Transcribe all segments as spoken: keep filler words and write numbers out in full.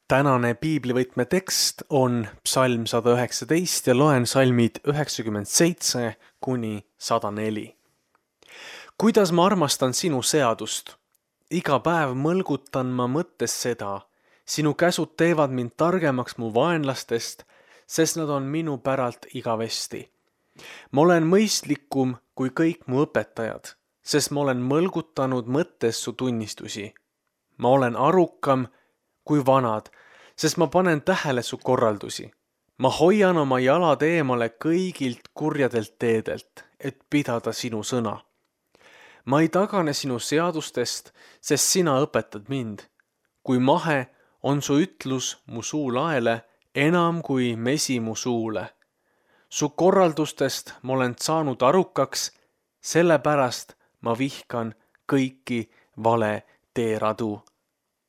Tänane piiblivõtme tekst on psalm sada üheksateist ja loen salmid üheksakümmend seitse kuni sada neli. Kuidas ma armastan sinu seadust? Iga päev mõlgutan ma mõttes seda. Sinu käsud teevad mind targemaks mu vaenlastest, sest nad on minu päralt igavesti. Ma olen mõistlikum kui kõik mu õpetajad, sest ma olen mõlgutanud mõttes su tunnistusi. Ma olen arukam kui vanad, sest ma panen tähele su korraldusi. Ma hoian oma jalad eemale kõigilt kurjadelt teedelt, et pidada sinu sõna. Ma ei tagane sinu seadustest, sest sina õpetad mind. Kui mahe on su ütlus mu suu laele, enam kui mesi mu suule. Su korraldustest ma olen saanud arukaks, sellepärast ma vihkan kõiki vale teeradu.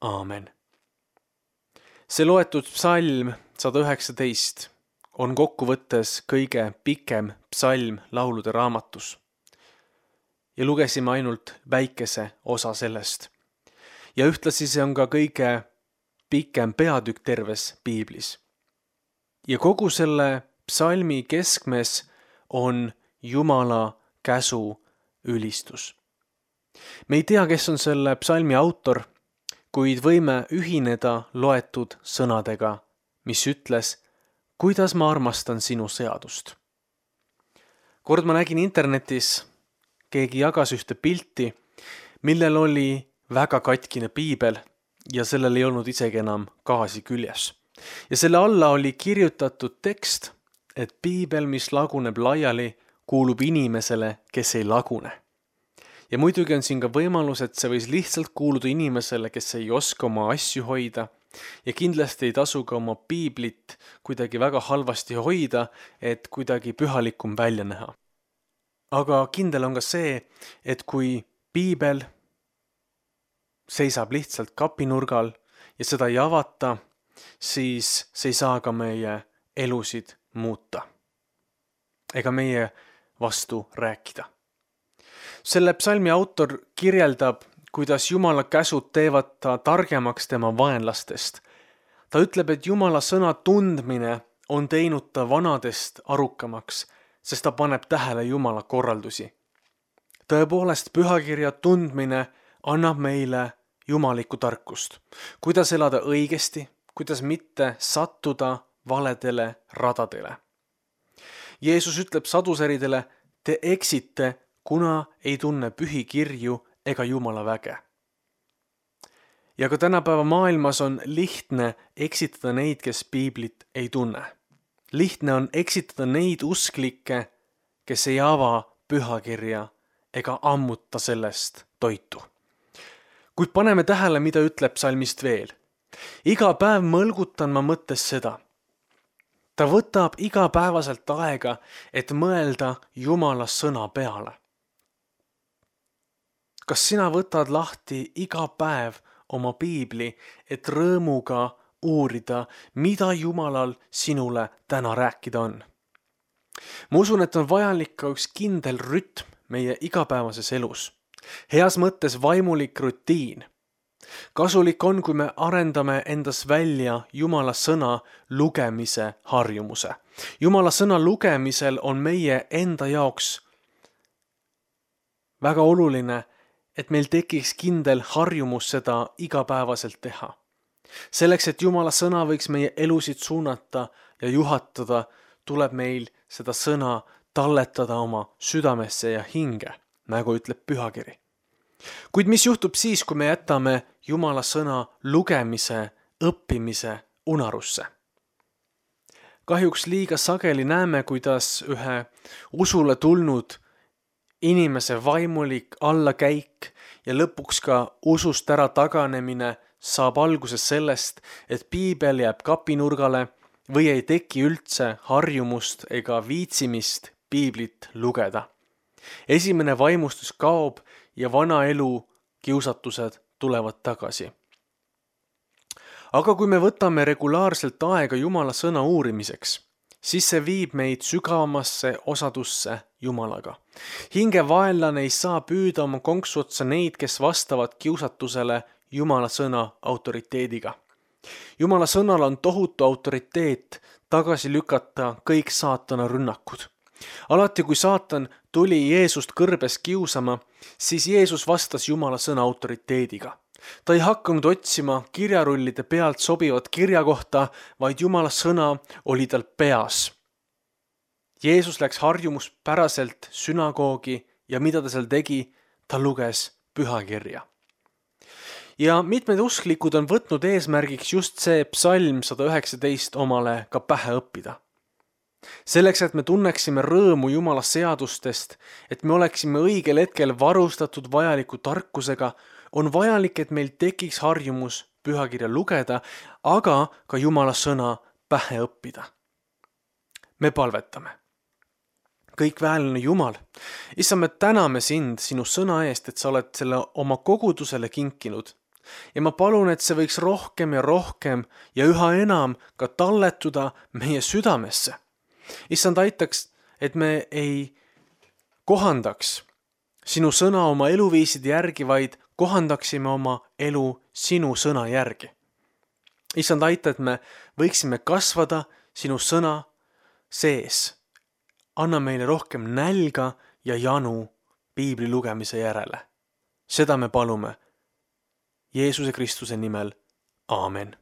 Aamen. See loetud psalm sada üheksateist on kokkuvõttes kõige pikem psalm laulude raamatus. Ja lugesime ainult väikese osa sellest. Ja ühtlasi see on ka kõige pikem peatükk terves piiblis. Ja kogu selle psalmi keskmes on Jumala käsu ülistus. Me ei tea, kes on selle psalmi autor, kuid võime ühineda loetud sõnadega, mis ütles, kuidas ma armastan sinu seadust. Kord ma nägin internetis, keegi jagas ühte pilti, millel oli väga katkine piibel ja sellel ei olnud isegi enam gaasi küljes. Ja selle alla oli kirjutatud tekst, et piibel, mis laguneb laiali, kuulub inimesele, kes ei lagune. Ja muidugi on siin ka võimalus, et see võis lihtsalt kuuluda inimesele, kes ei oska oma asju hoida ja kindlasti ei tasu ka oma piiblit kuidagi väga halvasti hoida, et kuidagi pühalikum välja näha. Aga kindel on ka see, et kui piibel seisab lihtsalt kapinurgal ja seda ei avata, siis see ei saa ka meie elusid muuta ega meie vastu rääkida. Selle psalmi autor kirjeldab, kuidas Jumala käsud teevad ta targemaks tema vaenlastest. Ta ütleb, et Jumala sõna tundmine on teinud ta vanadest arukamaks, sest ta paneb tähele Jumala korraldusi. Tõepoolest, pühakirja tundmine annab meile jumalikku tarkust, kuidas elada õigesti, kuidas mitte sattuda valedele radadele. Jeesus ütleb sadusäridele, te eksite, kuna ei tunne pühi kirju ega Jumala väge. Ja ka tänapäeva maailmas on lihtne eksitada neid, kes piiblit ei tunne. Lihtne on eksitada neid usklikke, kes ei ava pühakirja ega ammuta sellest toitu. Kuid paneme tähele, mida ütleb psalmist veel. Iga päev mõlgutan ma mõttes seda. Ta võtab igapäevaselt aega, et mõelda Jumala sõna peale. Kas sina võtad lahti iga päev oma piibli, et rõõmuga uurida, mida Jumalal sinule täna rääkida on? Ma usun, et on vajalik ka üks kindel rütm meie igapäevases elus. Heas mõttes vaimulik rutiin. Kasulik on, kui me arendame endas välja Jumala sõna lugemise harjumuse. Jumala sõna lugemisel on meie enda jaoks väga oluline, et meil tekiks kindel harjumus seda igapäevaselt teha. Selleks, et Jumala sõna võiks meie elusid suunata ja juhatada, tuleb meil seda sõna talletada oma südamesse ja hinge, nagu ütleb pühakiri. Kuid mis juhtub siis, kui me jätame Jumala sõna lugemise, õppimise unarusse? Kahjuks liiga sageli näeme, kuidas ühe usule tulnud inimese vaimulik allakäik ja lõpuks ka usust ära taganemine saab alguses sellest, et piibel jääb kapinurgale või ei teki üldse harjumust ega viitsimist piiblit lugeda. Esimene vaimustus kaob ja vana elu kiusatused tulevad tagasi. Aga kui me võtame regulaarselt aega Jumala sõna uurimiseks, siis see viib meid sügavamasse osadusse Jumalaga. Hinge vaenlane ei saa püüda oma konksu otsa neid, kes vastavad kiusatusele Jumala sõna autoriteediga. Jumala sõnal on tohutu autoriteet tagasi lükata kõik saatana rünnakud. Alati, kui saatan tuli Jeesust kõrbes kiusama, siis Jeesus vastas Jumala sõna autoriteediga. Ta ei hakanud otsima kirjarullide pealt sobivat kirja kohta, vaid Jumala sõna oli tal peas. Jeesus läks harjumuspäraselt sünagoogi ja mida ta seal tegi, ta luges pühakirja. Ja mitmed usklikud on võtnud eesmärgiks just see psalm sada üheksateist omale ka pähe õppida. Selleks, et me tunneksime rõõmu Jumala seadustest, et me oleksime õigel hetkel varustatud vajaliku tarkusega, on vajalik, et meil tekiks harjumus pühakirja lugeda, aga ka Jumala sõna pähe õppida. Me palvetame. Kõik väelane Jumal, Issa, me täname sind sinu sõna eest, et sa oled selle oma kogudusele kinkinud. Ja ma palun, et see võiks rohkem ja rohkem ja üha enam ka talletuda meie südamesse. Issand, aitaks, et me ei kohandaks sinu sõna oma eluviiside järgi, vaid kohandaksime oma elu sinu sõna järgi. Issand, aita, et me võiksime kasvada sinu sõna sees. Anna meile rohkem nälga ja janu piibli lugemise järele. Seda me palume Jeesuse Kristuse nimel. Aamen.